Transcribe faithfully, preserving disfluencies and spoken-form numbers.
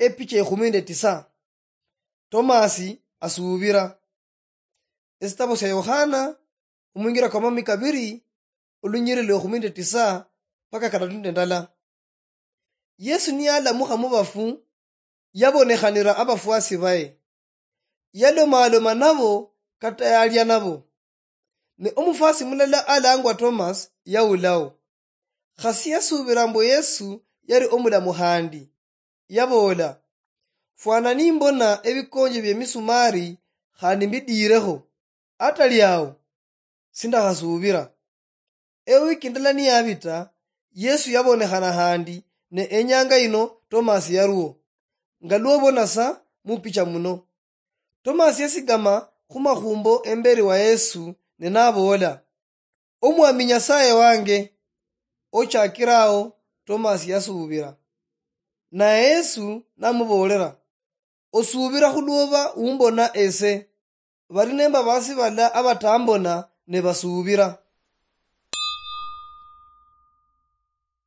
Epicha ekhumi nende tisa. Tomasi asuubira. Esitabo sia Yohana, omwingira kwa mami kabiri, olunyiriri lwa ekhumi nende tisa mpaka kadatu nende ndala. Yesu niyalamukha mubafu, yabonekhanira abafwasi baye. Yalomaloma nabo kata yalya nabo. Ne omufwasi mulala alangwa Tomasi yawulao. Khasi yasuubira mbu Yesu yali omulamu khandi. Yaboola, "Fwana nimbona ebikonje biemisumari khandi mbidiirekho, atali ao, sindakhasuubira." Ewiki ndala niyabita, Yesu yabonekhana khandi, ne enyanga yino Tomasi yaliwo, nga lwobona sa mupicha muno. Tomasi yasigama khumakhumbo emberi wa Yesu, ne naboola, "Omwami Nyasaye wange!" Ochakira ao, Tomasi yasuubira. Naye Yesu namuboolera, "Osuubira khulwoba umbona ese? Bali nembabaasi bala abatambona ne basuubira."